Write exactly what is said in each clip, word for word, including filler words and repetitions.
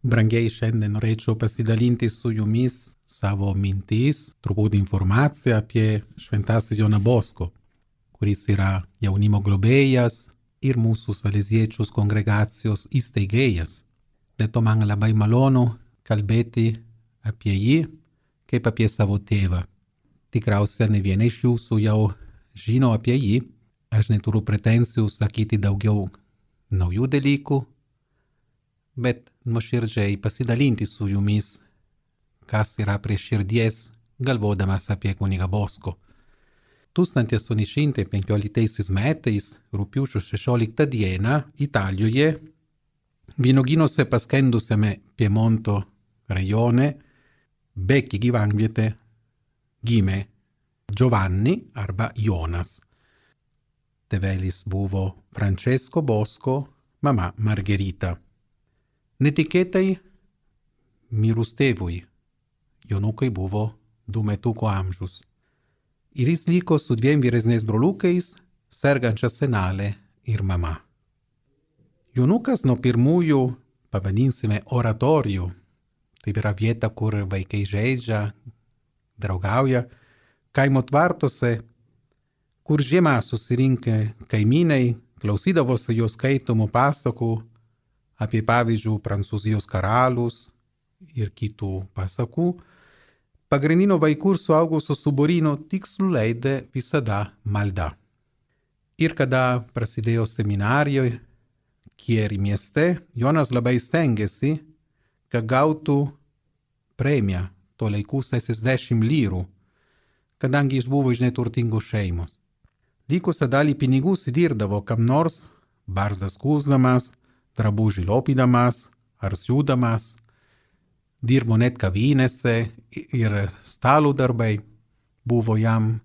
Brangiai, šiandien norėčiau pasidalinti su jumis savo mintis, truputį informaciją apie Šventasis Joną Bosko, kuris yra jaunimo globėjas ir mūsų saleziečius kongregacijos įsteigėjas. Dėl to man labai malonu kalbėti apie jį kaip apie savo tėvą. Tikriausiai ne viena iš jūsų jau žino apie jį. Aš neturiu pretenzijų sakyti daugiau naujų dalykų, bet nuoširdžiai pasidalinti su jumis, kas yra prie širdies, galvodamas apie kunigą Bosko. tūkstantis aštuoni šimtai penkioliktaisiais metais, rugpjūčio šešioliktą dieną, Italijoje, vynuogynuose paskendusiame Piemonto rajone, Becchi gyvenvietė, gimė Giovanni arba Jonas. Tėvelis buvo Francesco Bosko, mama Margherita. Netikėtai mirus tėvui, Jonukui buvo du metukų amžius. Ir jis liko su dviem vyresniais broliukais, sergančia senelė ir mama. Jonukas nuo pirmųjų, pavadinsime, oratorijų, tai yra vieta, kur vaikai žaidžia, draugauja, kaimo tvartuose, kur žiemą susirinkę kaimynai klausydavosi jos skaitomų pasakų apie, pavyzdžiui, Prancūzijos karalius ir kitų pasakų, pagrindinio vaikų ir suaugusių suburino tikslu leidė visada malda. Ir kada prasidėjo seminarijoje, Chieri mieste, Jonas labai stengėsi, kad gautų premiją, to laikų šešiasdešimt lyrų, kadangi jis buvo iš neturtingos šeimos. Likusią dalį pinigų įdirdavo kam nors, barzdas skūsdamas, drabužį lopydamas ar siūdamas, dirbo net kavinėse ir stalo darbai buvo jam.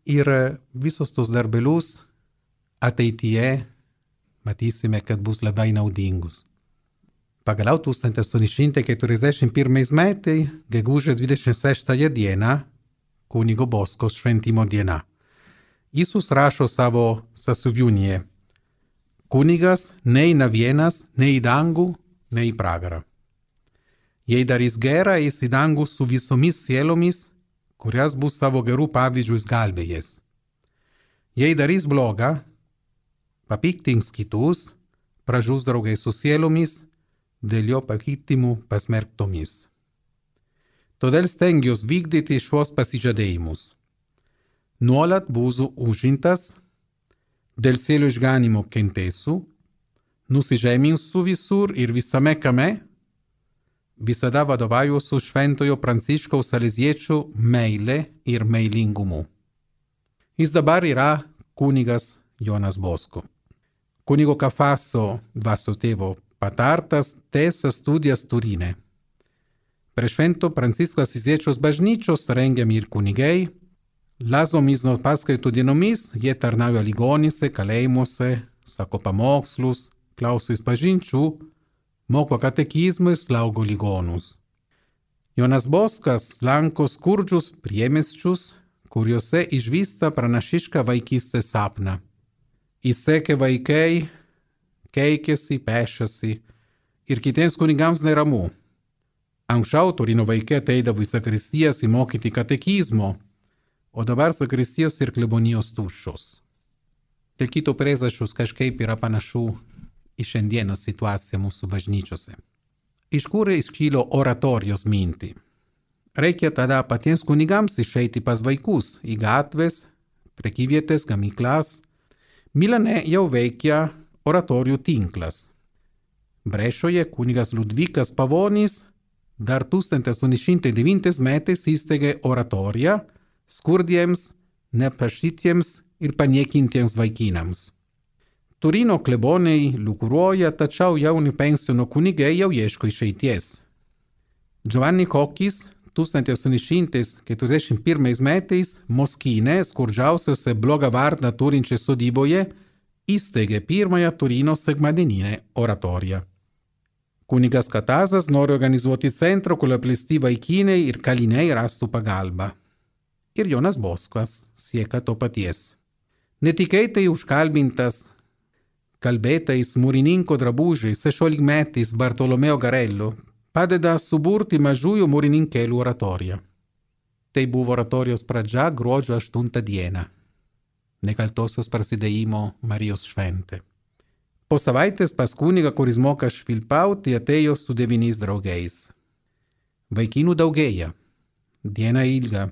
Ir visos tos darbelius ateityje matysime, kad bus labai naudingus. Pagaliau tūkstantis aštuoni šimtai keturiasdešimt pirmais metais, gegužės dvidešimt šeštąją dieną, kunigo Bosko šventimo diena. Jis užrašo savo sąsiuvinyje: kunigas neina vienas nei į dangų, nei į pragarą. Jei darys gerą, eis į dangų su visomis sielomis, kurias bus savo gerų pavyzdžių išgelbėjęs. Jei darys blogą, papiktins kitus, pražus draugai su sielomis, dėl jo pakeitimų pasmerktomis. Todėl stengiuosi vykdyti šios pasižadėjimus. Nuolat būsiu užimtas, dėl sielų išganimo kentėsiu, nusižeminsiu visur ir visame kame, visada vadovaujuosi šventojo Pranciškaus Saleziečio meile ir meilingumu. Jis dabar yra kunigas Jonas Bosko. Kunigo Cafaso dvasios tėvo patartas tęsia studijas Turine. Prie švento Pranciško Asiziečiaus bažnyčios rengiami ir kunigai. Lazomis nuo paskaitų dienomis jie tarnauja ligoninėse, kalėjimuose, sako pamokslus, klauso išpažinčių, moko katekizmų ir slaugo ligonus. Jonas Boskas lanko skurdžius priemiesčius, kuriuose išvysta pranašišką vaikystės sapną. Įsekė vaikai, keikiasi, pešasi ir kitiems kunigams neramu. Anksčiau Turino vaikai ateidavo į sakristijas įmokyti katekizmo, o dabar sakristijos ir klebonijos tuščios. Dėl kito priežasčių kažkaip yra panašu į šiandieną situaciją mūsų bažnyčiose. Iš kur iškilo oratorijos mintį? Reikia tada patiems kunigams išeiti pas vaikus į gatves, prekyvietės, gamyklas. Milane jau veikia oratorijų tinklas. Brešoje kunigas Liudvikas Pavonis dar tūkstantis aštuoni šimtai devintais metais įsteigė oratoriją skurdiems, neprašytiems ir paniekintiems vaikinams. Turino kleboniai liukuruoja, tačiau jauni pensiono kunigai jau ieško išeities. Giovanni Kokis tūkstantis aštuoni šimtai keturiasdešimt pirmais metais Moskine, skurdžiausiose blogą vardą turinčiai sodyboje, įsteigė pirmąją Turino sekmadieninę oratoriją. Kunigas Katazas nori organizuoti centrą, kur apleisti vaikinai ir kaliniai rastų pagalbą. Ir Jonas Boskas siekia to paties. Netikėtai užkalbintas calbetais murininco drabugiais sešiolikmetis Bartolomeo Garello padeda suburti mažųjų murininkėlių oratoriją. Tai buvo oratorijos pradžia gruodžio aštuntą dieną, nekaltosios prasidėjimo Marijos šventė. Po savaitės pas kunigą, kuris moka švilpauti, atėjo su devyniais draugais. Vaikinų daugėja, diena ilga,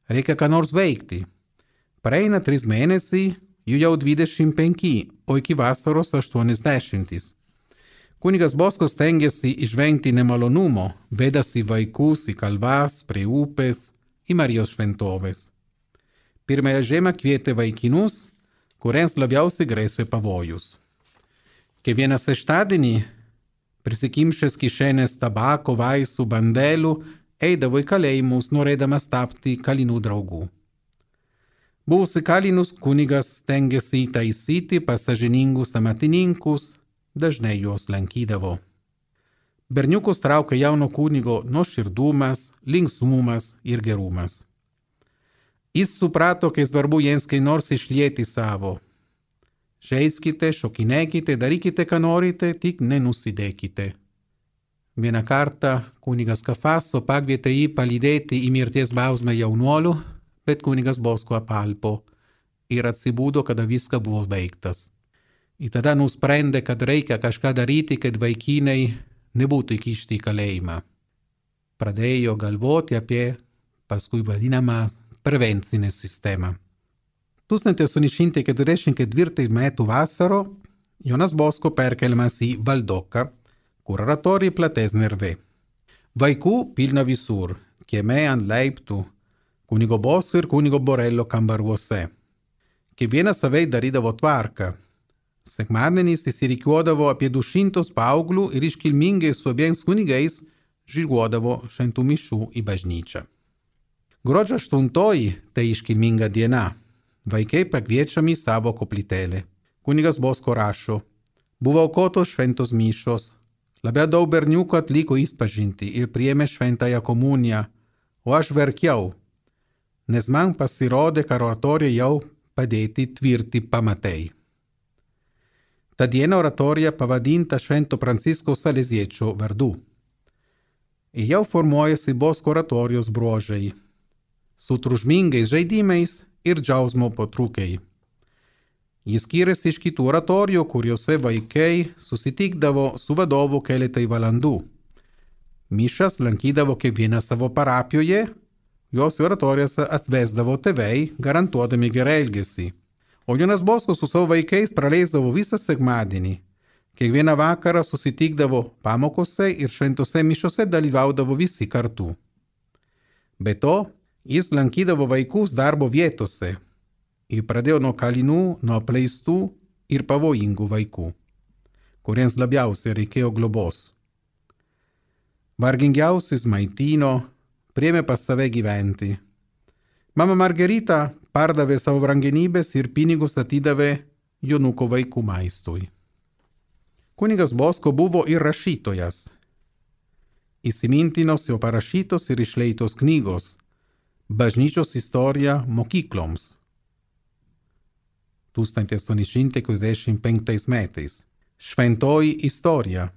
reikia ką nors veikti. Praeina trys mėnesiai, jų jau dvidešimt penki, o iki vasaros aštuoniasdešimt. Kunigas Bosko stengiasi išvengti nemalonumo, vedasi vaikus į kalvas, prie upės, į Marijos šventoves. Pirmąją žiemą kvietė vaikinus, kuriems labiausiai grėsė pavojus. Kiekvieną šeštadienį, prisikimšęs kišenės tabako, vaistų, bandelų, eidavo į kalėjimus, norėdamas tapti kalinų draugų. Buvusi kalinus kunigas stengiasi įtaisyti pas sąžiningus amatininkus, dažnai juos lankydavo. Berniukus traukia jauno kunigo nuoširdumas, linksmumas ir gerumas. Jis suprato, kai svarbu jiems kai nors išlieti savo. Žeiskite, šokinėkite, darykite, ką norite, tik nenusidėkite. Vieną kartą kunigas Kafaso pakvietė jį palydėti į mirties bausmę jaunuolių, bet kunigas Bosko apalpo ir atsibudo, kada viskas buvo baigtas. Ir tada nusprendė, kad reikia kažką daryti, kad vaikinai nebūtų įkišti į kalėjimą. Pradėjo galvoti apie paskui vadinamą prevencinę sistemą. tūkstantis aštuoni šimtai keturiasdešimt ketvirtų metų vasaro Jonas Bosko perkeliamas į Valdoką, kur oratorija platesnė erdvė. Vaikų pilna visur, kieme ant laiptų, kunigo Bosko ir kunigo Borello kambariuose. Kiekvienas savai darydavo tvarką. Sekmadieniais įsirikiuodavo apie du šimtus paauglių ir iškilmingai su abiems kunigais žygiuodavo šventų mišių į bažnyčią. Gruodžio aštuntoji tai iškilminga diena. Vaikai pakviečiami į savo koplytėlę. Kunigas Bosko rašo, buvo aukotos šventos mišios, labai daug berniukų atliko išpažintį ir priėmė šventąją komuniją, o aš verkiau, nes man pasirodė, kad oratorija jau padėti tvirti pamatai. Ta diena oratorija pavadinta Švento Prancisko Saleziečio vardu. Ir jau formuojasi Bosko oratorijos bruožai, su triukšmingais žaidimais ir džiaugsmo potraukiai. Jis skiriasi iš kitų oratorijų, kuriuose vaikai susitikdavo su vadovu keletai valandų. Mišas lankydavo kiekvieną savo parapijoje, jos oratorijose atvesdavo tėvai, garantuodami gerą elgesį. O Jonas Bosko su savo vaikais praleisdavo visą sekmadienį. Kiekvieną vakarą susitikdavo pamokose ir šventose mišiose dalyvaudavo visi kartu. Be to, jis lankydavo vaikus darbo vietose ir pradėjo nuo kalinų, nuo apleistų ir pavojingų vaikų, kuriems labiausiai reikėjo globos. Vargingiausius maitino, priėmė pas save gyventi. Mama Margarita pardavė savo brangenybės ir pinigus atidavė Jonuko vaikų maistui. Kunigas Bosko buvo ir rašytojas. Įsimintinos jo parašytos ir išleitos knygos Bažnyčios istorija mokykloms. tūkstantis aštuoni šimtai keturiasdešimt penktais metais. Šventoji istorija.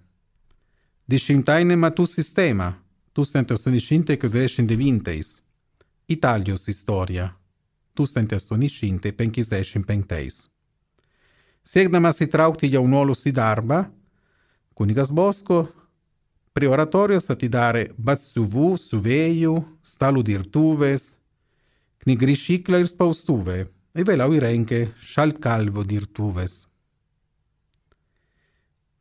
Dešimtainė metų sistema. tūkstantis aštuoni šimtai keturiasdešimt devintais. Italijos istorija. tūkstantis aštuoni šimtai penkiasdešimt penktais. Siekdamas įtraukti jaunuolius į darbą, kunigas Bosko prie oratorijos atidarė batsiuvų, siuvėjų, stalų dirbtuvės, knygrišyklą ir spaustuvę, ir vėliau įrengė šaltkalvio dirbtuvės.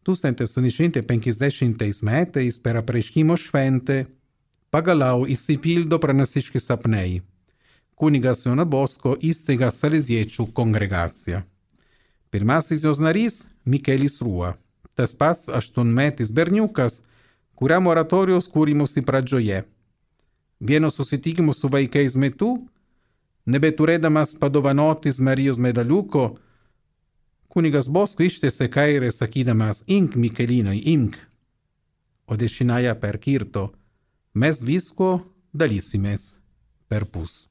tūkstantis aštuoni šimtai penkiasdešimtais metais per apreiškimo šventę pagaliau išsipildo pranašiški sapnai. Kunigas Jonas Bosko įsteigia Saleziečių kongregaciją. Pirmasis jos narys Mikelis Rua, tas pats aštuonmetis berniukas, kuriam oratorijos kūrimosi pradžioje. Vieno susitikimo su vaikais metu, nebeturėdamas padovanotis Marijos medaliuko, kunigas Bosko ištiesė kairę sakydamas, imk Mikelinai, imk, o dešinėje perkirto, mes visko dalysimės per pus.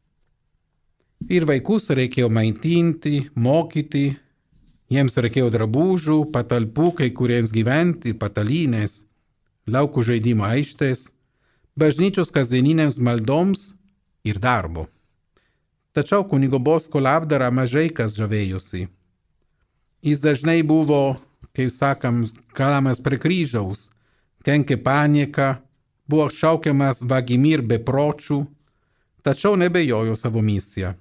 Ir vaikus reikėjo maitinti, mokyti, Jiems reikėjo drabužių, patalpų kai kuriems gyventi, patalynės, laukų žaidimo aikštės, bažnyčios kasdieninėms maldoms ir darbo. Tačiau kunigo Bosko labdarą mažai kas žavėjosi. Jis dažnai buvo, kaip sakam, kalamas prie kryžiaus, kenkė panieką, buvo šaukiamas vagimi ir bepročių, tačiau nebejojo savo misiją.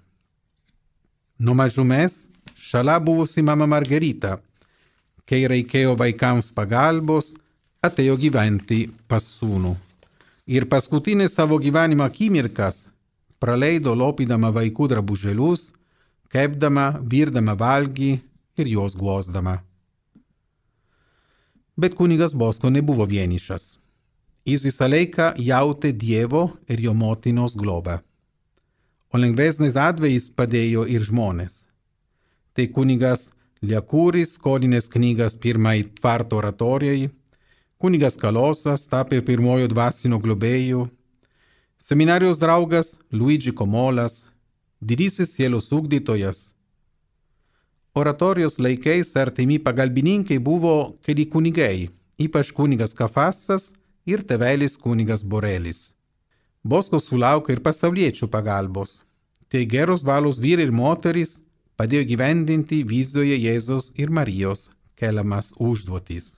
Nuo mažumės šalia buvusi mama Margarita, kai reikėjo vaikams pagalbos, atėjo gyventi pas sūnų. Ir paskutinės savo gyvenimo akimirkas praleido lopydama vaikų drabužėlius, kepdama, virdama valgį ir juos guosdama. Bet kunigas Bosko nebuvo vienišas. Jis visą laiką jautė Dievo ir jo motinos globą. O lengvesnis atvejais padėjo ir žmonės. Tai kunigas Liakuris skolinės knygas pirmai tvarto oratorijai, kunigas Kalosas tapė pirmojo dvasinio globėjų, seminarijos draugas Luigi Komolas, didysis sielos ugdytojas. Oratorijos laikais artimi pagalbininkai buvo keli kunigai, ypač kunigas Kafasas ir tėvelis kunigas Borelis. Bosko sulaukė ir pasauliečių pagalbos. Tai geros valios vyrai ir moterys padėjo gyvendinti vizijoje Jėzaus ir Marijos keliamas užduotis.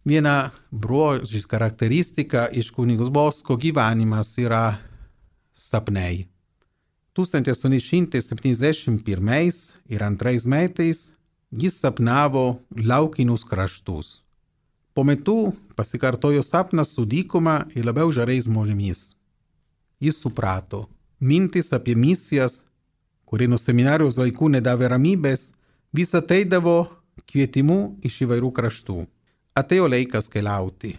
Viena bruožis charakteristika iš kunigos Bosko gyvenimas yra sapnai. tūkstantis aštuoni šimtai septyniasdešimt pirmais ir antrais metais jis sapnavo laukinius kraštus. Po metų pasikartojo sapnas su dykuma ir labiau žaliais žmonėmis. Jis suprato, mintis apie misijas, kurie nuo seminarijos laikų nedavė ramybės, vis ateidavo kvietimu iš įvairių kraštų. Atėjo laikas keliauti.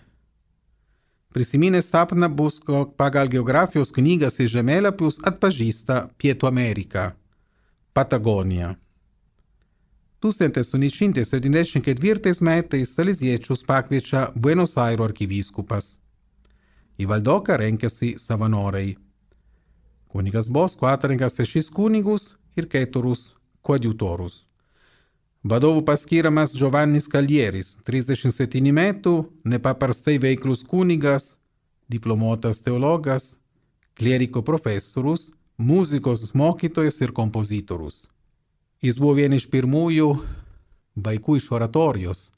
Prisiminęs sapną Bosko pagal geografijos knygas ir žemėlapius atpažįsta Pietų Ameriką, Patagoniją. tūkstantis aštuoni šimtai septyniasdešimt ketvirtais metais saleziečius pakviečia Buenos Airo arkivyskupas. Į valdoką renkasi savanoriai. Kunigas Bosko atrenka šešis kunigus ir keturus koadjutorus. Vadovu paskiriamas Giovannis Kalieris, trisdešimt septynių metų, nepaprastai veiklus kunigas, diplomuotas teologas, klieriko profesorius, muzikos mokytojas ir kompozitorius. Jis buvo vienas iš pirmųjų vaikų iš oratorijos.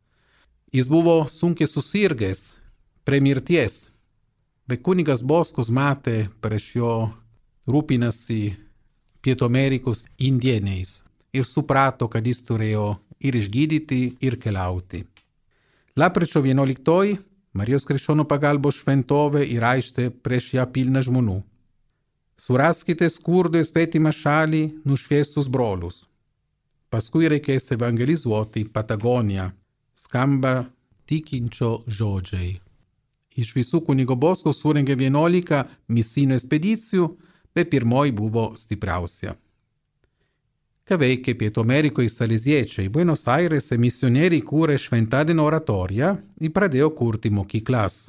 Jis buvo sunkiai susirgęs prie mirties, bet kunigas Boskus matė prieš jo rūpinasi Pietų Amerikos indieniais ir suprato, kad jis turėjo ir išgydyti, ir keliauti. Lapkričio vienuoliktoji Marijos Krikščionių pagalbos šventovė ir aikštė prieš ją pilna žmonių. Suraskite skurdo į svetimą šalį nušviestus brolius. Paskui reikės evangelizuoti Patagoniją. Skamba tikinčio žodžiai. Iš visų kunigo Bosko surengė vienuolika misinių ekspedicijų, bet pirmoji buvo stipriausia. Ką veikė Pietų Amerikoje saleziečiai, Buenos Airėse misionieriai kūrė šventadienio oratoriją ir pradėjo kurti mokyklas.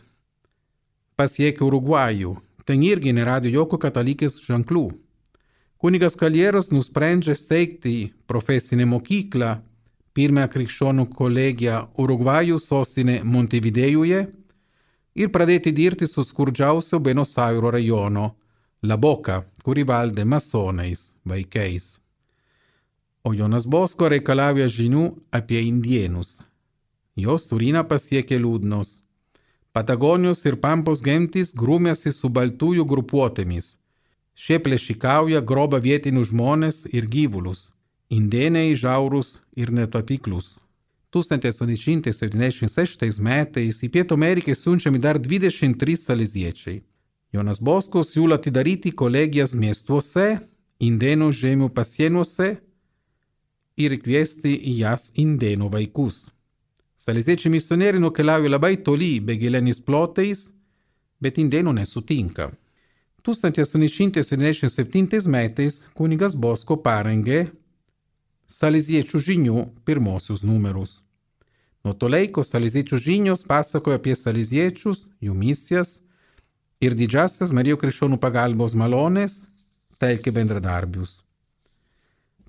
Pasiekė Urugvajų, ten irgi nerado jokių katalikės ženklų. Kunigas Kalieras nusprendžia steigti profesinę mokyklą, pirmąją krikščionių kolegiją Urugvajų sostinė Montevidėjuje ir pradėti dirbti su skurdžiausio Buenos Airo rajono, La Boca, kuri valdė masonais, vaikais. O Jonas Bosko reikalauja žinių apie indienus. Jos Turiną pasiekė liūdnos. Patagonijos ir Pampos gentys grūmėsi su baltųjų grupuotėmis. Šie plėšikauja, groba vietinius žmonės ir gyvulius. Indėnai žiaurūs ir netapiklius. tūkstantis aštuoni šimtai septyniasdešimt šeštais metais į Pietų Ameriką siunčiami dar dvidešimt trys saleziečiai. Jonas Bosko siūlo atidaryti kolegijas miestuose, indėnų žemių pasienuose ir kviesti į jas indėnų vaikus. Saleziečiai misionieriai nukeliauja labai toli begileniais plotais, bet indėnų nesutinka. tūkstantis aštuoni šimtai septyniasdešimt septintais metais kunigas Bosko parengė Saleziečių žinių pirmosius numerus. Nuo to laiko Saleziečių žinios pasakoja apie saleziečius, jų misijas ir didžiasias Marijos Krikščionių pagalbos malonės, telkė bendradarbius.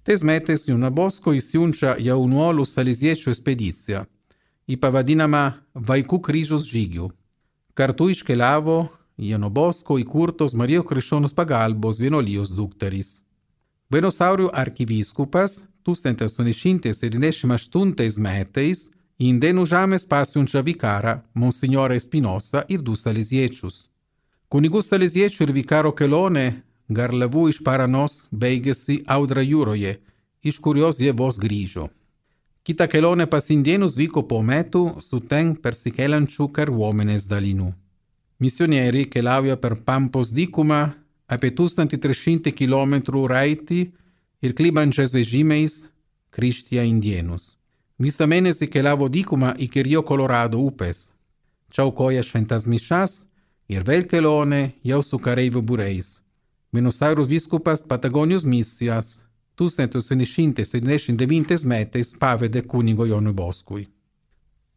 Tes metais Jonas Bosko įsiunčia jaunuolių saleziečių ekspediciją į pavadinamą Vaikų kryžiaus žygių. Kartu iškeliavo Jono Bosko įkurtos Marijos Krikščionės pagalbos vienuolijos dukterys. Buenos Airių arkivyskupas tūkstantis aštuoni šimtai septyniasdešimt aštuntais metais į Indėnų žemės pasiunčia vikarą Monsignorą Espinosa ir du saleziečius. Kunigų saleziečių ir vikaro kelionė garliavų iš Paranos baigėsi Audra jūroje, iš kurios jie vos grįžo. Kita kelionė pas indėnus vyko po metų su ten persikeliančių kariuomenės dalinių. Misionieriai keliauja per Pampos dykumą apie tūkstantį tris šimtus kilometrų raitį ir klibančiais vežimais krikštija indėnus. Visą mėnesį keliavo dykumą iki Rio Colorado upės. Čia aukoja šventas mišas ir vėl kelionė jau su kareivių būreis. Buenos Airių vyskupas Patagonijos misijas tūkstantis aštuoni šimtai septyniasdešimt devintais metais pavedė kunigo Jonui Boskui.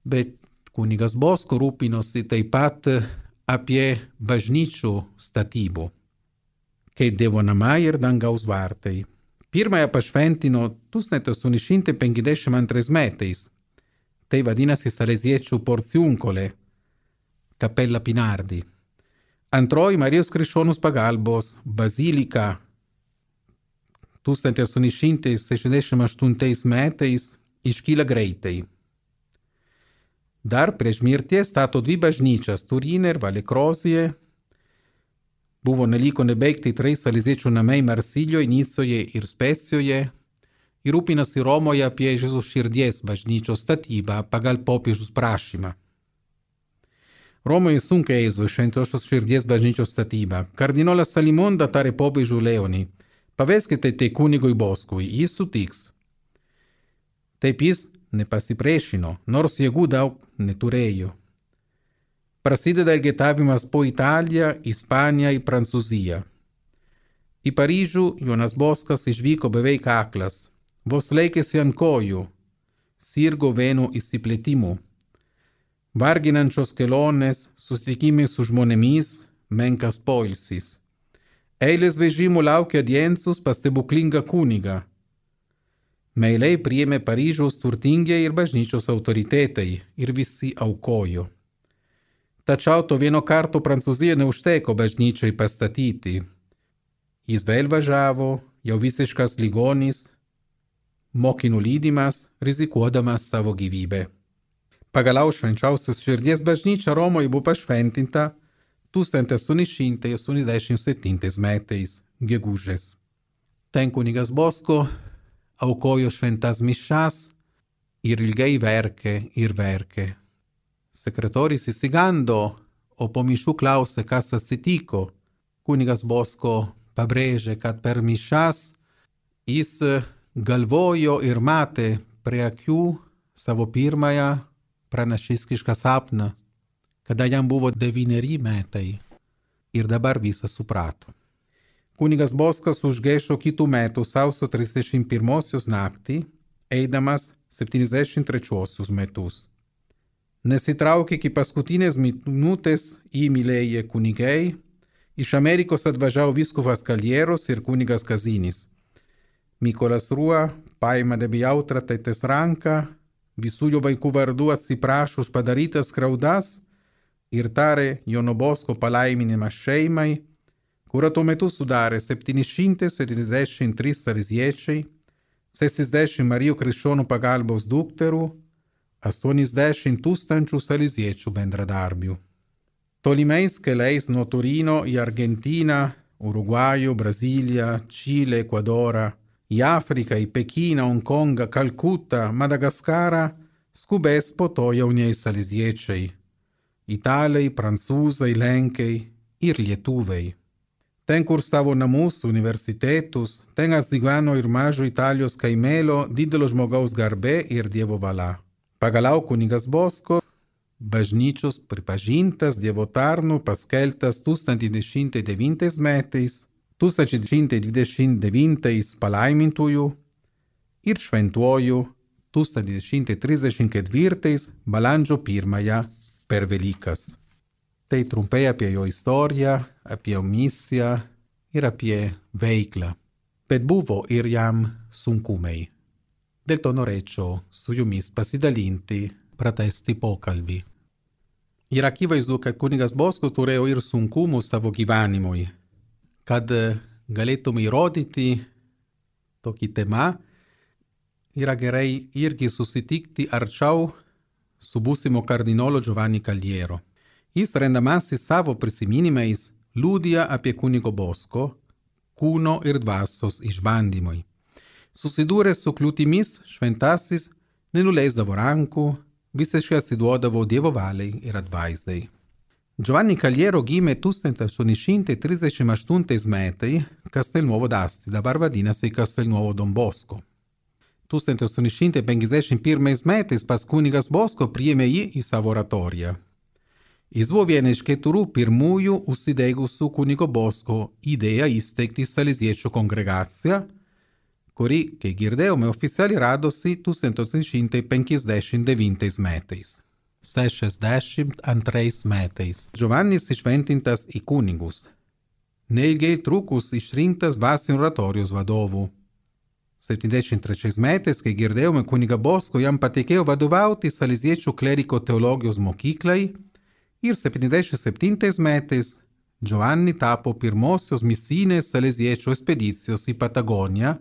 Bet kunigas Bosko rūpinosi taip pat apie bažnyčių statybų, kaip Dievo namai ir dangaus vartai. Pirmąją pašventino tūkstantis aštuoni šimtai penkiasdešimt antrais metais. Tai vadinasi saleziečių porciunkolė, Kapella Pinardi. Antroji Marijos Krikščionės pagalbos bazilika tūkstantis aštuoni šimtai šešiasdešimt aštuntais metais iškyla greitai. Dar prieš mirtį stato dvi bažnyčias Turine ir Valikrozijoje. Buvo neliko nebaigti trys saleziečių namai Marsiljoje, Nicoje ir Specijoje ir rūpinasi Romoje apie Jėzaus širdies bažnyčios statybą pagal popiežiaus prašymą. Romoje sunkiai ėjo Šventosios širdies bažnyčios statybą. Kardinolas Salimonda tarė popiežiui Leonui: paveskite tai kunigui Boskui, jis sutiks. Taip jis nepasipriešino, nors jėgų daug neturėjo. Prasideda elgetavimas po Italiją, Ispaniją ir Prancūziją. Į Paryžių Jonas Boskas išvyko beveik aklas, vos laikėsi ant kojų, sirgo venų išsiplėtimų. Varginančios kelionės, susitikimai su žmonėmis, menkas poilsis. Eilės vežimų laukia diensus pas stebuklingą kunigą. Meiliai priėmė Paryžiaus turtingieji ir bažnyčios autoritetai ir visi aukojo. Tačiau to vieno karto Prancūzija neužteko bažnyčiai pastatyti. Jis vėl važiavo, jau visiškas ligonis, mokinų lydimas, rizikuodamas savo gyvybę. Pagaliau Švenčiausios širdies bažnyčia Romoje buvo pašventinta tūkstantis aštuoni šimtai aštuoniasdešimt septintais metais, gegužės. Ten kunigas Bosko aukojo šventas mišas ir ilgai verkė ir verkė. Sekretorius įsigando, o po mišių klausė, kas atsitiko. Kunigas Bosko pabrėžė, kad per mišas jis galvojo ir matė prie akių savo pirmąją pranašišką sapną, kada jam buvo devyneri metai ir dabar visą suprato. Kunigas Boskas užgaišo kitų metų sausio trisdešimt pirmosios naktį, eidamas septyniasdešimt trečiuosius metus. Nesitraukė iki paskutinės minutės įmylėję kunigai, iš Amerikos atvažiavo vyskupas Kaljeros ir kunigas Kazinis. Mykolas Rua paima debijautrą tėtės ranką, visų jo vaikų vardų atsiprašo už padarytas skriaudas ir tarė Jono Bosko palaiminimą šeimai, kurią tuo metu sudarė septyni šimtai septyniasdešimt trys saleziečiai, šešiasdešimt Marijos Krikščionių pagalbos dukterų, aštuoniasdešimt tūkstančių saleziečių bendradarbių. Tolimais keliais nuo Turino į Argentiną, Urugvajų, Braziliją, Čilę, Ekvadorą, į Afriką, į Pekiną, Honkongą, Kalkutą, Madagaskarą skubės po to jaunieji saleziečiai – italai, prancūzai, lenkai ir lietuviai. Ten kursavo namus, universitetus, ten atsigano ir mažo Italijos kaimelio didelio žmogaus garbė ir Dievo valia. Pagaliau kunigas Bosko, bažnyčios pripažintas Dievo tarnu, paskeltas tūkstantis devyni šimtai devintais metais, tūkstantis devyni šimtai dvidešimt devintais palaimintųjų ir šventuoju tūkstantis devyni šimtai trisdešimt ketvirtais balandžio pirmąją per Velykas. Tai trumpai apie jo istoriją, apie jo misiją ir apie veiklą. pet buvo ir jam suncumei. Del tonoreccio sujumis pasidalinti pratesti pokalbi. Ir akivaizdu, kad kunigas Boskas turėjo ir sunkumų savo gyvenimui, kad galėtume įrodyti tokį temą, yra gerai irgi susitikti arčiau su būsimo kardinolo Giovanni Caliero. Jis rendamasis savo prisiminimais liudija apie kunigo Bosko kūno ir dvasios išbandymui. Susidūręs su kliūtimis, šventasis nenuleisdavo rankų, visiškai atsiduodavo Dievo valiai ir atvaizdai. Giovanni Caliero gimė tūkstantis aštuoni šimtai trisdešimt aštuntais metais Castelnuovo d'Asti, dabar vadinasi Castelnuovo Don Bosco. tūkstantis aštuoni šimtai penkiasdešimt pirmais metais pas kunigas Bosko priėmė jį į savo oratoriją. Jis buvo viena iš keturių pirmųjų užsidegusių kunigo Bosko idėją įsteigti Saleziečių kongregaciją, kuri, kai girdėjome, oficialiai radosi tūkstantis aštuoni šimtai penkiasdešimt devintais metais. šešiasdešimt antrais metais. Giovannis išventintas į kunigus. Neilgai trukus išrinktas dvasinio oratorijos vadovu. septyniasdešimt trečiais metais, kai girdėjome, kuniga Bosko jam patikėjo vadovauti Saleziečių kleriko teologijos mokyklai ir septyniasdešimt septintais metais Giovanni tapo pirmosios misinės Saleziečių ekspedicijos į Patagoniją,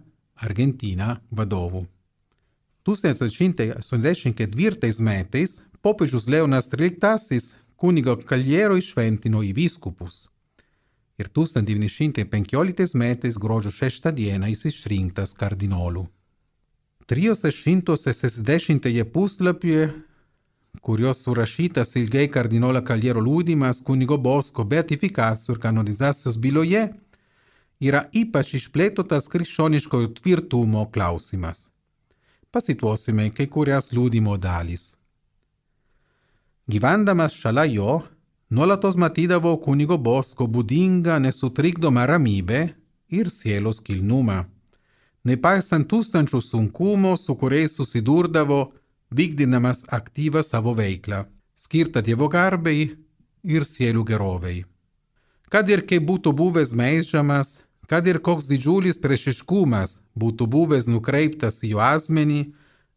Argentiną vadovu. tūkstantis aštuoni šimtai aštuoniasdešimt ketvirtais metais popiežius Leonas tryliktasis kunigo Caliero išventino į vyskupus ir tūkstantis devyni šimtai penkioliktais metais gruodžio šeštą dieną jis išrinktas kardinolu. trijuose šimtuose šešiasdešimtajame puslapyje, kurios surašytas ilgai kardinolo Caliero liudijimas kunigo Bosko beatifikacijos ir kanonizacijos byloje, yra ypač išplėtotas krikščioniškojo tvirtumo klausimas. Pasituosime kai kurias liudijimo dalys. Gyvendamas šalia jo, nuolatos matydavo kunigo Bosko būdingą nesutrikdomą ramybę ir sielos kilnumą, nepaisant tūkstančių sunkumų, su kuriais susidurdavo, vykdydamas aktyvą savo veiklą, skirtą Dievo garbei ir sielų gerovei. Kad ir kaip būtų buvęs meižamas, kad ir koks didžiulis priešiškumas būtų buvęs nukreiptas į jo asmenį,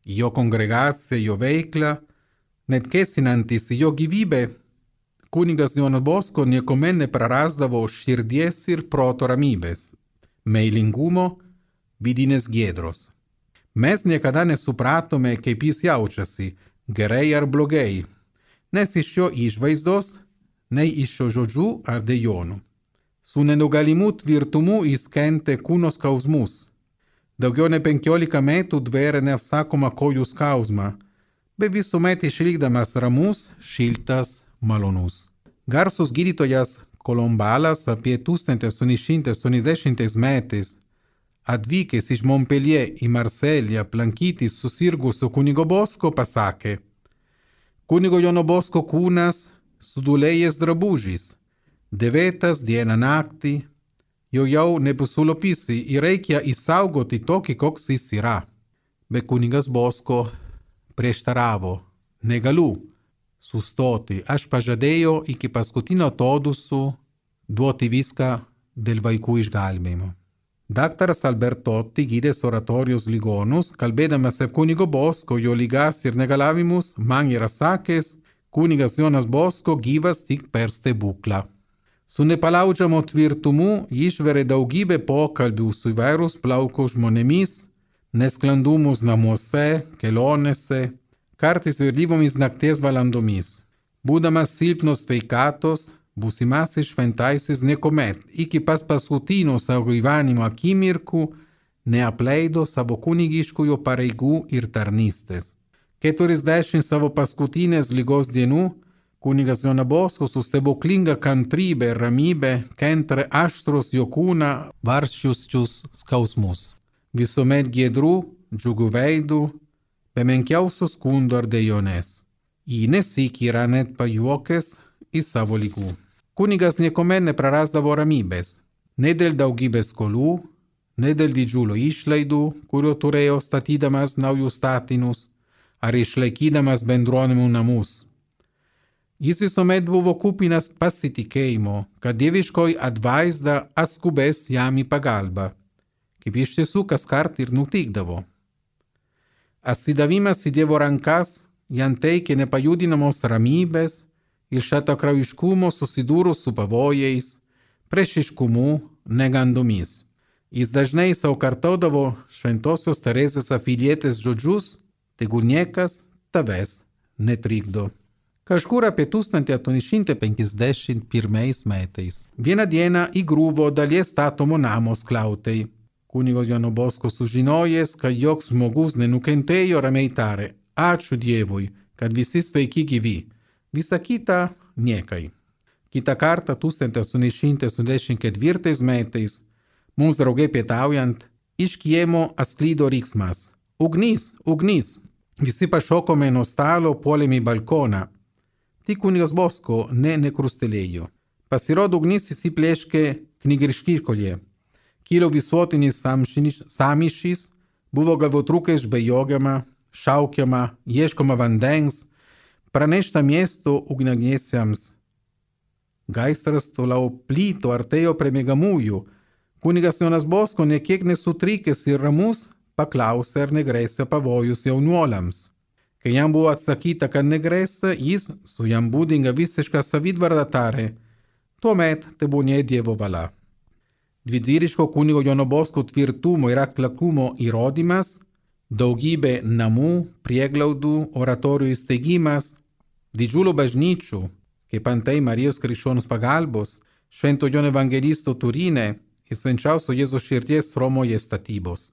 į jo kongregaciją, jo veiklą, net kėsinantis į jo gyvybę, kunigas Jonas Bosko niekuomet neprarasdavo širdies ir proto ramybės, meilingumo, vidinės giedros. Mes niekada nesupratome, kaip jis jaučiasi, gerai ar blogai, nes iš jo išvaizdos, nei iš jo žodžių ar dejonų. Su nenugalimu tvirtumu jis kentė kūno skausmus. Daugiau nei penkiolika metų dvėrė neapsakomą kojų skausmą, bet visuomet išlikdamas ramus, šiltas, malonus. Garsus gydytojas Kolombalas apie tūkstantis aštuoni šimtai aštuoniasdešimtais metais atvykęs iš Montpellier į Marselį aplankyti susirgusio kunigo Bosko pasakė: kunigo Jono Bosko kūnas sudulėjęs drabužis, dėvėtas dieną naktį, jo jau nebesulopysi ir reikia įsaugoti tokį, koks jis yra. Bet kunigas Bosko prieštaravo: negaliu sustoti, aš pažadėjau iki paskutinio atodūsio duoti viską dėl vaikų išgelbėjimo. Daktaras Albertotti, gydęs oratorijos ligonus, kalbėdamas apie kunigo Bosko, jo ligas ir negalavimus, man yra sakęs, kunigas Jonas Bosko gyvas tik per stebuklą. Su nepalaužiamu tvirtumu išverė daugybę pokalbių su įvairūs plauko žmonėmis, nesklandumus namuose, kelionėse, kartais vėlyvomis nakties valandomis. Būdamas silpnos sveikatos, būsimasis šventasis niekuomet iki pas paskutinio savo gyvenimo akimirkų neapleido savo kunigiškųjų pareigų ir tarnystės. Keturiasdešimt savo paskutinės ligos dienų kunigas Jonas Bosko su stebuklinga kantrybe ir ramybe kentė aštrus jo kūną varsčius skausmus. Visuomet giedrų, džiugių veidų, be menkiausių skundų ar dejonės. Jį nesyk yra net pajuokęs į savo ligų. Kunigas niekuomet neprarasdavo ramybės, ne dėl daugybės skolų, ne dėl didžiulių išlaidų, kurio turėjo statydamas naujus statinius, ar išlaikydamas bendruomenių namus. Jis visuomet buvo kupinas pasitikėjimo, kad dieviškoji atvaizda atskubės jam į pagalbą, kaip iš tiesų kas kart ir nutikdavo. Atsidavimas į Dievo rankas jam teikė nepajudinamos ramybės ir šaltakraujiškumo susidūrus su pavojais, priešiškumu, negandomis. Jis dažnai sau kartodavo šventosios Teresės afilietės žodžius, tegu niekas tavęs netrikdo. Kažkur apie tūkstantis aštuoni šimtai penkiasdešimt pirmais metais vieną dieną įgriuvo dalies statomo namo skliautai. Kunigo Jono Bosko sužinojęs, kad joks žmogus nenukentėjo, ramiai tarė: ačiū Dievui, kad visi sveiki gyvi. Visa kita niekai. Kitą kartą tūkstantis aštuoni šimtai aštuoniasdešimt ketvirtais metais mums draugai pietaujant iš kiemo atsklido riksmas: ugnis, ugnis. Visi pašokome nuo stalo, puolėme į balkoną. Tik kunigas Bosko ne nekrustelėjo. Pasirodo, ugnis įsiplėškė knygriškykoje. Kilo visuotinis sąmyšis, buvo galvotrūkai žvejojama, šaukiama, ieškoma vandens, pranešta miesto ugniagesiams. Gaisras toliau plyto, artėjo prie miegamųjų. Kunigas Jonas Bosko, nekiek nesutrikęs ir ramus, paklausė, ar negrėsia pavojus jaunuoliams. Kai jam buvo atsakyta, kad negrėsia, jis su jam būdinga visiška savitvarda tarė: tuomet tebūnie Dievo valia. Didvyriško kunigo Jono Bosko tvirtumo ir atlakumo įrodymas – daugybė namų, prieglaudų, oratorijų įsteigimas, didžiulių bažnyčių, kaip antai Marijos Krikščionės pagalbos, Švento Jono Evangelisto Turine ir Švenčiausio Jėzaus širdies Romoje statybos.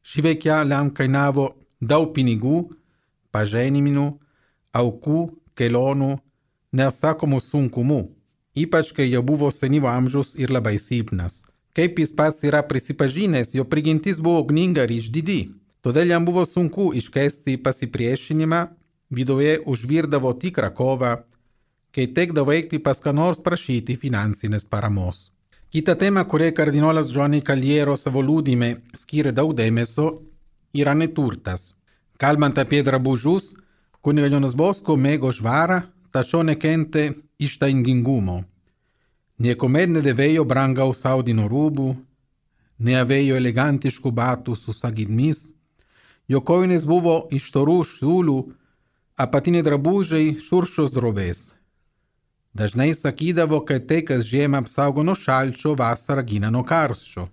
Ši veikla jam kainavo daug pinigų, pažeminimų, aukų, kelionių, neatsakomų sunkumų, ypač kai jau buvo senyvo amžiaus ir labai silpnas. Kaip jis pats yra prisipažinęs, jo prigimtis buvo ugninga ir išdidi. Todėl jam buvo sunku iškęsti pasipriešinimą, viduje užvirdavo tikrą kovą, kai tekdavo eiti pas ką nors prašyti finansinės paramos. Kita tema, kuriai kardinolas Giovanni Caliero savo liudijime skyrė daug dėmesio, yra neturtas. Kalbant apie drabužius, kunigas Jonas Bosko mėgo švarą, tačiau nekentė ištaigingumo. Niekuomet nedėvėjo brangaus audinio rūbų, neavėjo elegantiškų batų su sagidmis, jo kojinės buvo iš storų siūlų, apatiniai drabužiai šiurkščios drobės. Dažnai sakydavo, kad tai, kas žiemą apsaugo nuo šalčio, vasarą gina nuo karščio.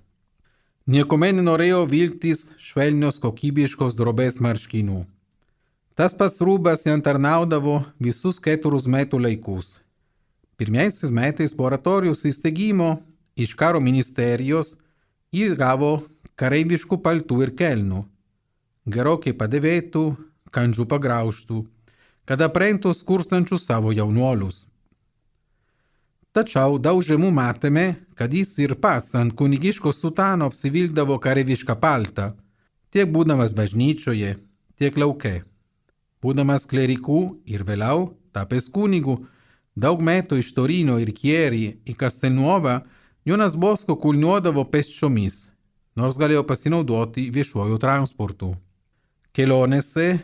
Niekuomet nenorėjo vilktis švelnios kokybiškos drobės marškinių. Tas pats rūbas jam tarnaudavo visus keturis metų laikus. Pirmiausiais metais po oratorijos įsteigimo iš karo ministerijos jis gavo kareiviškų paltų ir kelnių, gerokai padėvėtų, kandžių pagraužtų, kad aprengtų skurstančius savo jaunuolius. Tačiau daug žemų matėme, kad jis ir pats ant kunigiško sutano apsivilkdavo kareivišką paltą, tiek būdamas bažnyčioje, tiek lauke. Būdamas klerikų ir vėliau tapęs kunigu, daug metų iš Torino ir Chieri į Castelnuovo, Jonas Bosko kulniuodavo pėsčiomis, nors galėjo pasinaudoti viešuoju transportu. Kelionėse,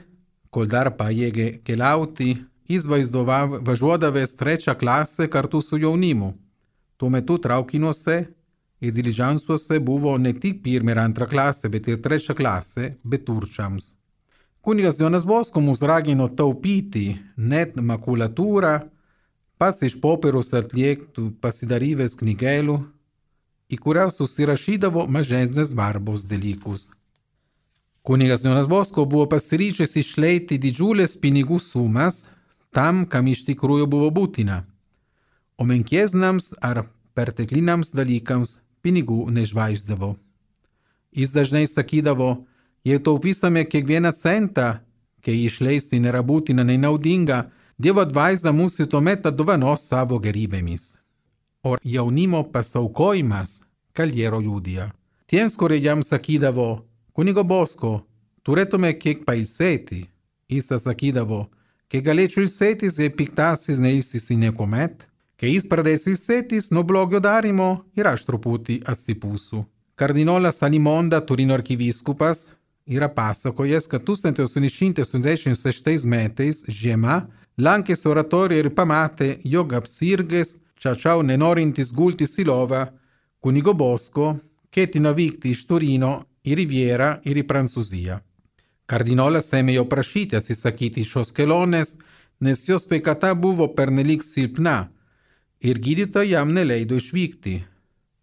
kol dar pajėgė keliauti, jis važiuodavęs trečią klasę kartu su jaunimu. Tuo metu traukiniuose ir diližansuose buvo ne tik pirma ir antra klasė, bet ir trečia klasė beturčiams. Kunigas Jonas Bosko mus ragino taupyti net makulatūrą, pats iš popieriaus atliektų pasidaryvęs knygelių, į kurią susirašydavo mažesnės svarbos dalykus. Kunigas Jonas Bosko buvo pasiryžęs išleiti didžiulės pinigų sumas tam, kam iš tikrųjų buvo būtina, o menkesniams ar pertekliniams dalykams pinigų nežvaigždavo. Jis dažnai sakydavo: jei taupysime kiekvieną centą, kai išleisti nėra būtina nei naudinga, Dievo dvasia mūsų tuomet dovanos savo gerybėmis. O jaunimo pasaukojimas Caliero liudija. Tiems, kurie jam sakydavo: kunigo Bosko, turėtume kiek pailsėti, jis sakydavo: kai galėčiau ilsėtis, jei piktasis neilsisi niekuomet, kai jis pradės ilsėtis nuo blogio darimo ir aš truputį atsipūsiu. Kardinolas Alimonda, Turino arkivyskupas, yra pasakojęs, kad tūkstantis aštuoni šimtai aštuoniasdešimt šeštais metais žiema lankėsi oratorijoje ir pamatė, jog apsirgęs, tačiau nenorintis gultis į lovą, kunigo Bosko ketino vykti iš Turino į Rivierą ir į Prancūziją. Kardinolas ėmė jo prašyti atsisakyti šios kelionės, nes jo sveikata buvo pernelyg silpna ir gydytojai jam neleido išvykti.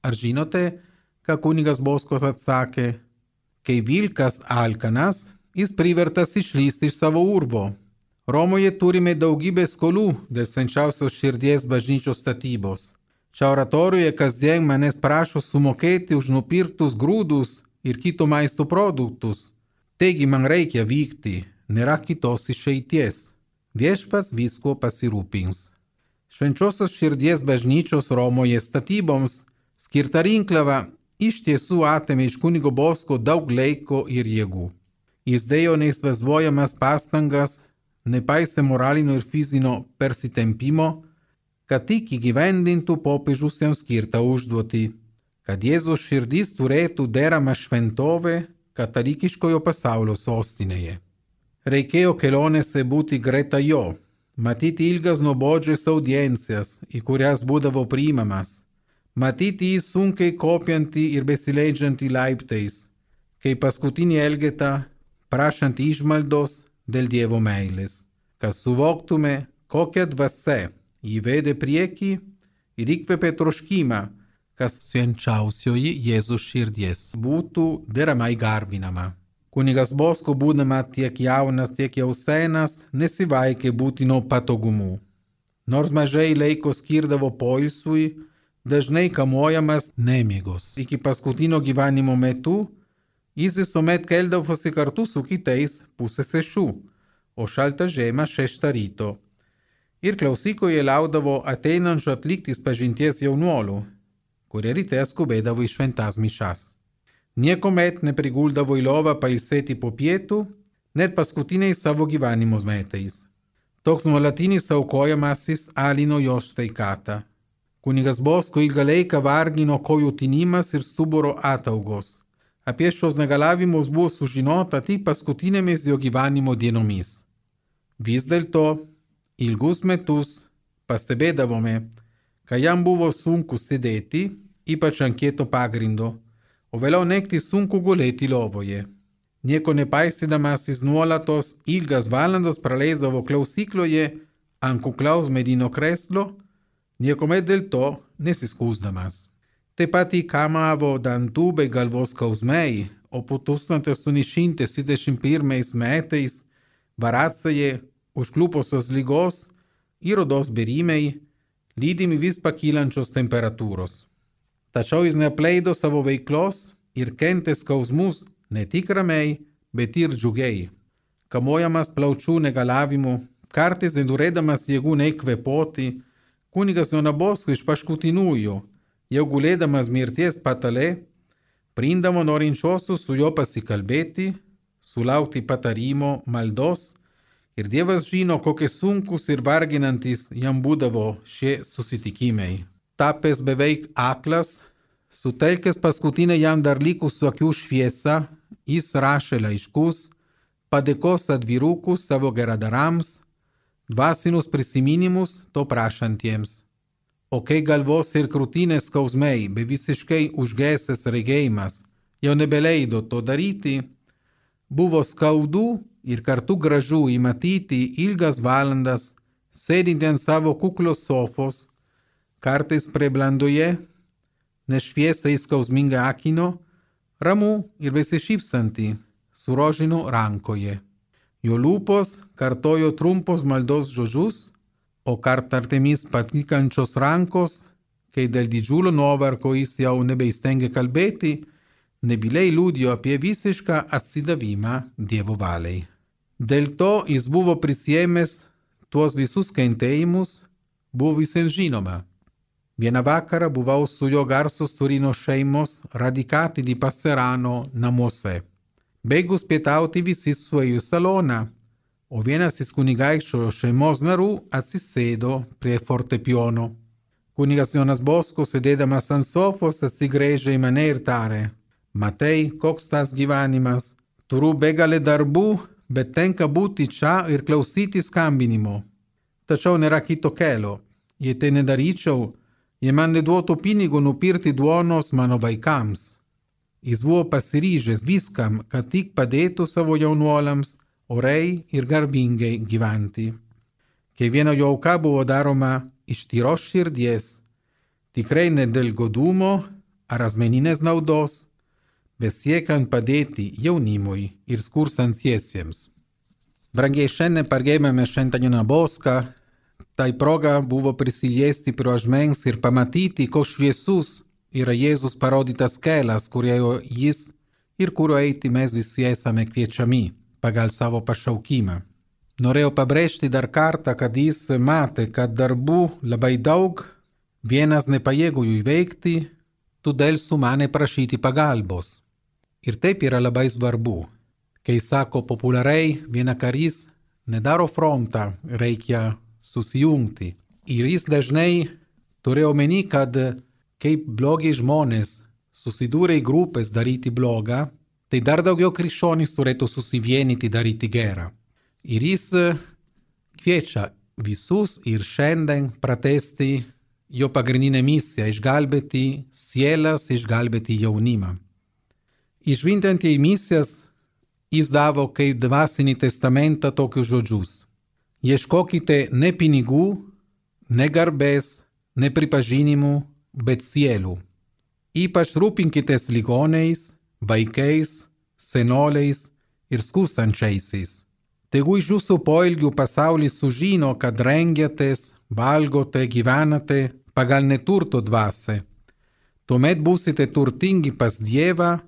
Ar žinote, ką kunigas Boscos atsakė? Kai vilkas alkanas, jis privertas išlysti iš savo urvo. Romoje turime daugybę skolų dėl švenčiausios širdies bažnyčios statybos. Čia oratorijoje kasdien manęs prašo sumokėti už nupirktus grūdus ir kito maisto produktus. Taigi man reikia vykti, nėra kitos išeities. Viešpats visko pasirūpins. Švenčiausios širdies bažnyčios Romoje statyboms skirta rinkliava iš tiesų atėmė iš kunigo Bosco daug laiko ir jėgų. Jis dėjo neįsivaizduojamas pastangas, nepaisė moralinio ir fizinio persitempimo, kad tik įgyvendintų popiežius jam skirtą užduotį, kad Jėzaus širdis turėtų deramą šventovę katalikiškojo pasaulio sostinėje. Reikėjo kelionėse būti greta jo, matyti ilgas nuobodžias audiencijas, į kurias būdavo priimamas, matyti jį sunkiai kopiantį ir besileidžiantį laiptais, kaip paskutinį elgetą, prašantį išmaldos dėl Dievo meilės, kad suvoktume, kokia dvasia jį vedė priekį ir įkvėpė troškimą, kas švenčiausioji Jėzaus širdies būtų deramai garbinama. Kunigas Bosco, būdama tiek jaunas, tiek jau senas, nesivaikė būtino patogumų. Nors mažai laiko skirdavo poilsiui, dažnai kamuojamas nemigos. Iki paskutinio gyvenimo metu jis visuomet keldavosi kartu su kitais pusę šešių, o šaltą žiemą šeštą ryto. Ir klausykoje laudavo ateinančių atlikti pažinties jaunuolių, kurie ryte skubėdavo į šventas mišas. Niekuomet nepriguldavo į lovą pailsėti po pietų, net paskutiniais savo gyvenimo metais. Toks nuolatinis aukojamasis alino jo sveikatą. Kunigas Bosco ilgą laiką vargino kojų tinimas ir stuburo ataugos. Apie šios negalavimus buvo sužinota tik paskutinėmis jo gyvenimo dienomis. Vis dėlto, ilgus metus pastebėdavome, kad jam buvo sunku sėdėti, ypač ant kieto pagrindo, o vėliau naktį sunku gulėti lovoje. Nieko nepaisydamas jis nuolatos ilgas valandas praleisdavo klausykloje ant kuklaus medinio krėslo, niekuomet dėl to nesiskųsdamas. Taip pat įkamavo dantų bei galvos skausmai, o po tūkstantis aštuoni šimtai septyniasdešimt pirmais metais Varatsaje užklupusios lygos ir odos bėrimai, lydimi vis pakylančios temperatūros. Tačiau jis neapleido savo veiklos ir kentė skausmus ne tik ramiai, bet ir džiugiai. Kamuojamas plaučių negalavimų, kartais nedurėdamas jėgų neįkvėpoti, kunigas Jonas Bosco iš paskutiniųjų, jau gulėdamas mirties patale, priimdavo norinčiosius su juo pasikalbėti, sulaukti patarimo, maldos, ir Dievas žino, kokie sunkus ir varginantis jam būdavo šie susitikimai. Tapęs beveik aklas, sutelkęs paskutinę jam dar likusių akių šviesą, jis rašė laiškus, padėkos atvirukus savo geradarams, dvasinius prisiminimus to prašantiems. O kai galvos ir krūtinės skausmai, be visiškai užgesęs regėjimas, jau nebeleido to daryti, buvo skaudu ir kartu gražu įmatyti ilgas valandas, sėdinti ant savo kuklios sofos, kartais prie blandoje, nešviesai skausminga akino, ramu ir besišypsanti, su rožinu rankoje. Jo lūpos kartojo trumpos maldos žodžius, o kartartėmis patikančios rankos, kai dėl didžiulio nuovargo jis jau nebeįstengė kalbėti, nebyliai liudijo apie visišką atsidavimą Dievo valiai. Dėl to jis buvo prisiėmęs tuos visus kentėjimus, buvo visiems žinoma. Vieną vakarą buvau su jo garsus Turino šeimos radikati di Passerano namuose. Baigus pietauti visi suėjo į saloną, o vienas iš kunigaikščio šeimos narių atsisėdo prie fortepijono. Kunigas Jonas Bosco, sėdėdamas ant sofos, atsigręžė į mane ir tarė: Matei, koks tas gyvenimas, turiu begalę darbų, bet tenka būti čia ir klausyti skambinimo. Tačiau nėra kito kelio. Jei tai nedaryčiau, jie man neduotų pinigų nupirkti duonos mano vaikams. Jis buvo pasiryžęs viskam, kad tik padėtų savo jaunuoliams oriai ir garbingai gyventi. Kiekviena jo auka buvo daroma iš tyros širdies, tikrai ne dėl godumo ar asmeninės naudos, bet siekiant padėti jaunimui ir skurstantiesiems. Brangiai, šiandien pargeimėme Šventą Joną Boską, tai proga buvo prisiliesti prie ašmens ir pamatyti, koks šviesus yra Jėzus parodytas kelias, kurio jis ir kurio eiti mes visi esame kviečiami pagal savo pašaukimą. Norėjau pabrėžti dar kartą, kad jis matė, kad darbų labai daug, vienas nepajėgų jų įveikti, todėl sumanė prašyti pagalbos. Ir taip yra labai svarbu. Kai sako populiariai, viena karys nedaro frontą, reikia susijungti. Ir jis dažnai turėjo omeny, kad kaip blogi žmonės susidūrė į grupės daryti blogą, tai dar daugiau krikščionys turėtų susivienyti daryti gerą. Ir jis kviečia visus ir šiandien pratęsti jo pagrindinę misiją – išgelbėti sielas, išgelbėti jaunimą. Išvintant į misijas, jis davo kaip dvasinį testamentą tokius žodžius. Ieškokite ne pinigų, ne garbės, ne pripažinimų, bet sielų. Ypač rūpinkitės ligoniais, vaikais, senoliais ir skurstančiaisiais. Tegu iš jūsų poelgių pasaulis sužino, kad rengiatės, valgote, gyvenate pagal neturto dvasią. Tuomet būsite turtingi pas Dievą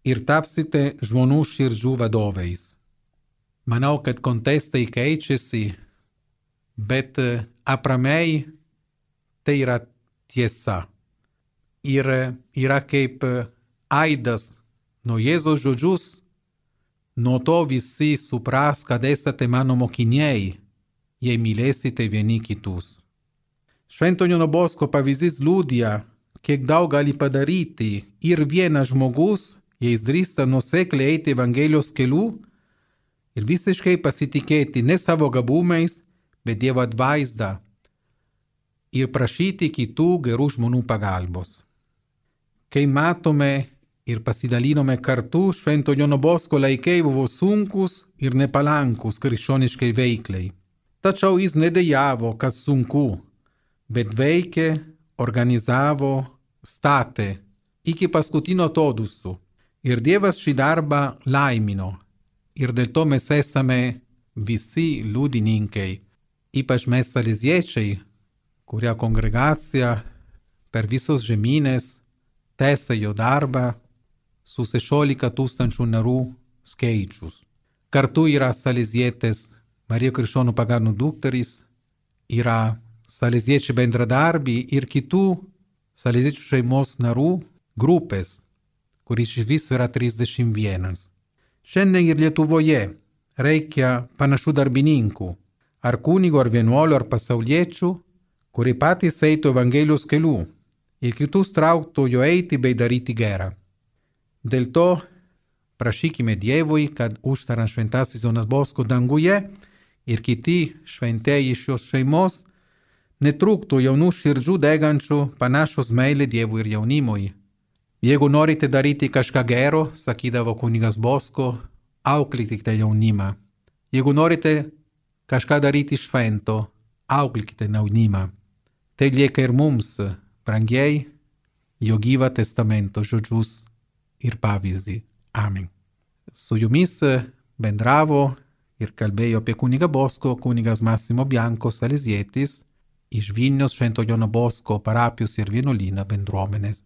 ir tapsite žmonių širdžių vadovais. Manau, kad kontekstai keičiasi, bet apramiai tai yra tiesa. Ir yra kaip aidas nuo Jėzaus žodžius, nuo to visi supras, kad esate mano mokiniai, jei mylėsite vieni kitus. Švento Jono Bosko pavyzdys liudija, kiek daug gali padaryti ir vienas žmogus, jei jis drįsta nuosekliai eiti Evangelijos keliu ir visiškai pasitikėti ne savo gabumais, bet Dievo atvaizdą ir prašyti kitų gerų žmonių pagalbos. Kai matome ir pasidalinome kartu, Švento Jono Bosko laikai buvo sunkus ir nepalankus krikščioniškai veiklai. Tačiau jis nedejavo, kad sunku, bet veikė, organizavo, statė iki paskutinio atodūsio. Ir Dievas šį darbą laimino. Ir dėl to mes esame visi liudininkai, ypač mes saleziečiai, kurie kongregacija per visos žemynės tęsia jo darbą su šešiolika tūkstančių narių skaičius. Kartu yra salezietės Marija Krikščionių pagonų dukterys, yra saleziečių bendradarbiai ir kitų saleziečių šeimos narų grupės, kuris iš viso yra trisdešimt vienas. Šiandien ir Lietuvoje reikia panašių darbininkų, ar kunigo, ar vienuolių, ar pasauliečių, kurie patys eitų Evangelijos keliu ir kitus trauktų jo eiti bei daryti gerą. Dėl to prašykime Dievui, kad užtarant Šventasis Jonas Bosko danguje ir kiti šventieji iš šios šeimos netrūktų jaunų širdžių degančių panašos meilė Dievui ir jaunimui. Jeigu norite daryti kažką gero, sakydavo kunigas Bosko, auklykite jaunimą. Jeigu norite kažką daryti švento, auklykite jaunimą. Tai lieka ir mums, brangiai, jo gyvą testamento žodžius ir pavyzdį. Amen. Su jumis bendravo ir kalbėjo apie kunigą Bosko kunigas Massimo Bianco salezietis iš Vilniaus Švento Jono Bosko parapijos ir vienuolyno bendruomenės.